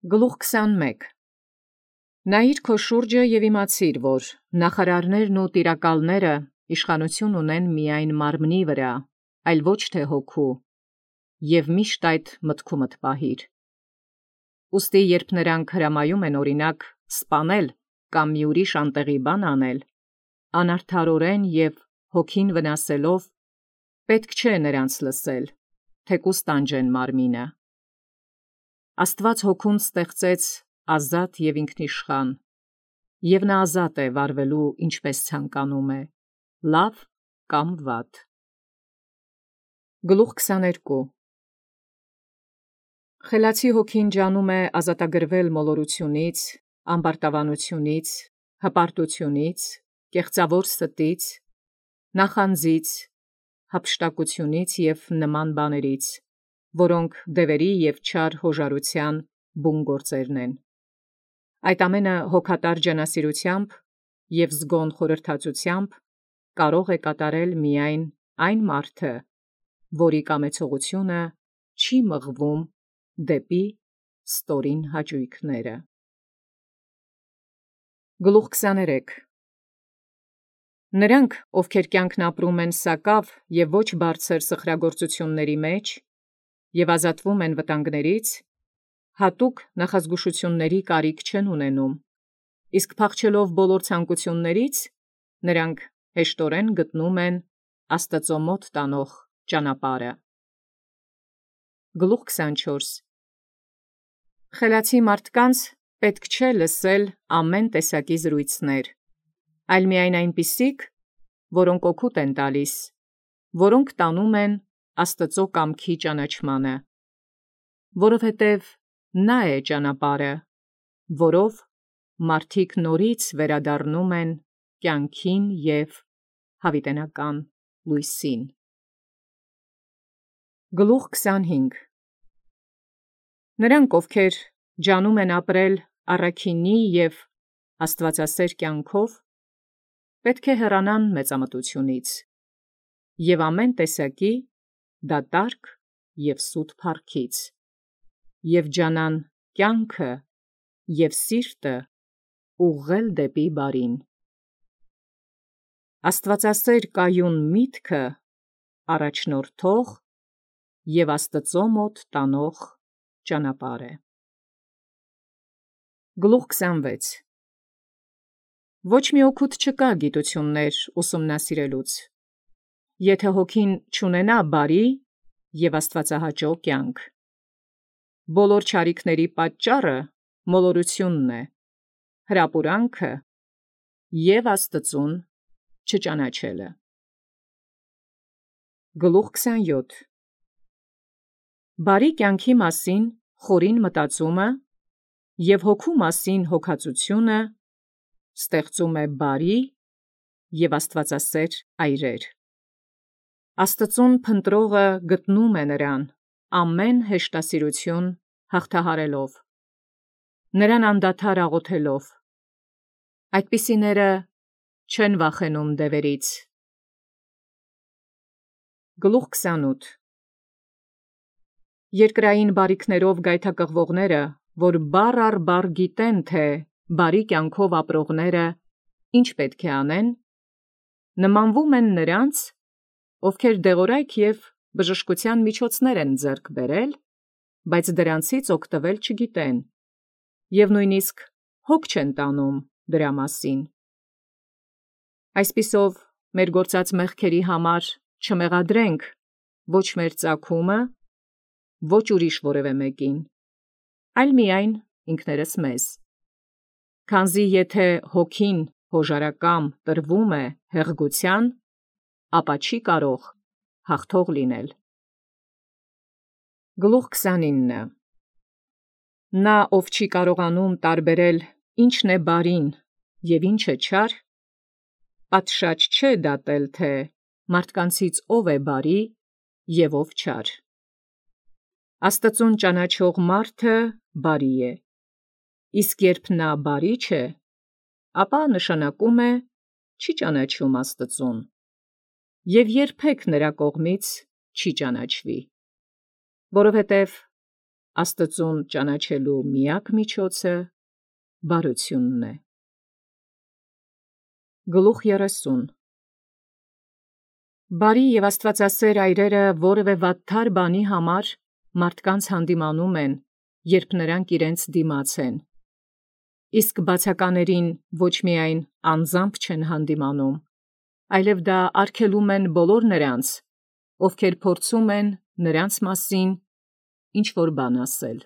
Գլուխ 21 Նայիր քո շուրջը և իմացիր, որ նախարարներն ու տիրակալները իշխանություն ունեն միայն մարմնի վրա, այլ ոչ թե հոգու, և միշտ այդ մտքումդ պահիր։ Ուստի երբ նրանք հրամայում են օրինակ սպանել կամ մի ուրիշ անտեղի բան անել, անարդարորեն և հոգին վնասելով, պետք չէ նրանց լսել, թեկուզ տանջեն մարմինը։ Աստված հոգուն ստեղծեց ազատ և ինքնիշխան, և նա ազատ է վարվելու ինչպես ցանկանում է, լավ կամ վատ։ Գլուխ 22 Խելացի հոգին ջանում է ազատագրվել մոլորությունից, ամբարտավանությունից, հպարտությունից, կեղծավոր ստից, նախանձից, հափշտակությունից և նման բաներից, որոնք դևերի և չար հոժարության բուն գործերն են։ Այդ ամենը հոգատար ջանասիրությամբ և զգոն խորհրդածությամբ կարող է կատարել միայն այն մարդը, որի կամեցողությունը չի մղվում դեպի ստորին հաճույքները։ Գլուխ 23 Նրանք, ովքեր կյանքն ապրում են սակավ և ոչ բարձր սխրագործությունների մեջ և ազատվում են վտանգներից, հատուկ նախազգուշությունների կարիք չեն ունենում, իսկ փախչելով բոլոր ցանկություններից, նրանք հեշտորեն գտնում են Աստծո մոտ տանող ճանապարհը։ Գլուխ 24 Խելացի մարդկանց պետք չէ լսել ամեն տեսակի զրույցներ, այլ միայն այնպիսիք, որոնք օգուտ են տալիս, որոնք տանում են Աստծո կամքի ճանաչմանը, որովհետև նա է ճանապարհը, որով մարդիկ նորից վերադառնում են կյանքին և հավիտենական լույսին։ Գլուխ 25 Նրանք, ովքեր ջանում են ապրել առաքինի և աստվածասեր կյանքով, պետք է հեռանան մեծամտությունից և ամեն տեսակի դատարկ և սուտ փառքից, և ջանան կյանքը և սիրտը ուղղել դեպի բարին։ Աստվածասեր կայուն միտքը առաջնորդող և Աստծո մոտ տանող ճանապարհ է։ Գլուխ 26 Ոչ մի օգուտ չկա գիտություններ ուսումնասիրելուց, եթե հոգին չունենա բարի և աստվածահաճո կյանք։ Բոլոր չարիքների պատճառը մոլորությունն է, հրապուրանքը և Աստծուն չճանաչելը։ Գլուխ 27 Բարի կյանքի մասին խորին մտածումը և հոգու մասին հոգածությունը ստեղծում է բարի և աստվածասեր այրեր։ Աստծուն փնտրողը գտնում է նրան ամեն հեշտասիրություն հաղթահարելով, նրան անդադար աղոթելով։ Այդպիսիները չեն վախենում դևերից։ Գլուխ 28 Երկրային բարիքներով գայթակղվողները, որ բառ առ բառ գիտեն, թե բարի կյանքով ապրողները ինչ պետք է անեն, նմանվում են նրանց, ովքեր դեղորայք և բժշկության միջոցներ են ձեռք բերել, բայց դրանցից օգտվել չգիտեն, և նույնիսկ հոգ չեն տանում դրա մասին։ Այսպիսով, մեր գործած մեղքերի համար չմեղադրենք ոչ մեր ծագումը, ոչ ուրիշ որևէ մեկին, այլ միայն ինքներս մեզ, քանզի եթե հոգին հոժարակամ տրվում է հեղգության, ապա չի կարող հաղթող լինել։ Գլուխ 29 Նա, ով չի կարողանում տարբերել ինչն է բարին և ինչը չար, պատշաճ չէ դատել, թե մարդկանցից ով է բարի և ով չար։ Աստծուն ճանաչող մարդը բարի է, իսկ երբ նա բարի չէ, ապա նշանակում է չի ճանաչում Աստծուն և երբեք նրա կողմից չի ճանաչվի, որովհետև Աստծուն ճանաչելու միակ միջոցը բարությունն է։ Գլուխ 30 Բարի և աստվածասեր այրերը որևէ վատթար բանի համար մարդկանց հանդիմանում են, երբ նրանք իրենց դիմաց են, իսկ բացականերին ոչ միայն անձամբ չեն հանդիմանում, այլև դա արգելում են բոլոր նրանց, ովքեր փորձում են նրանց մասին ինչ-որ բան ասել։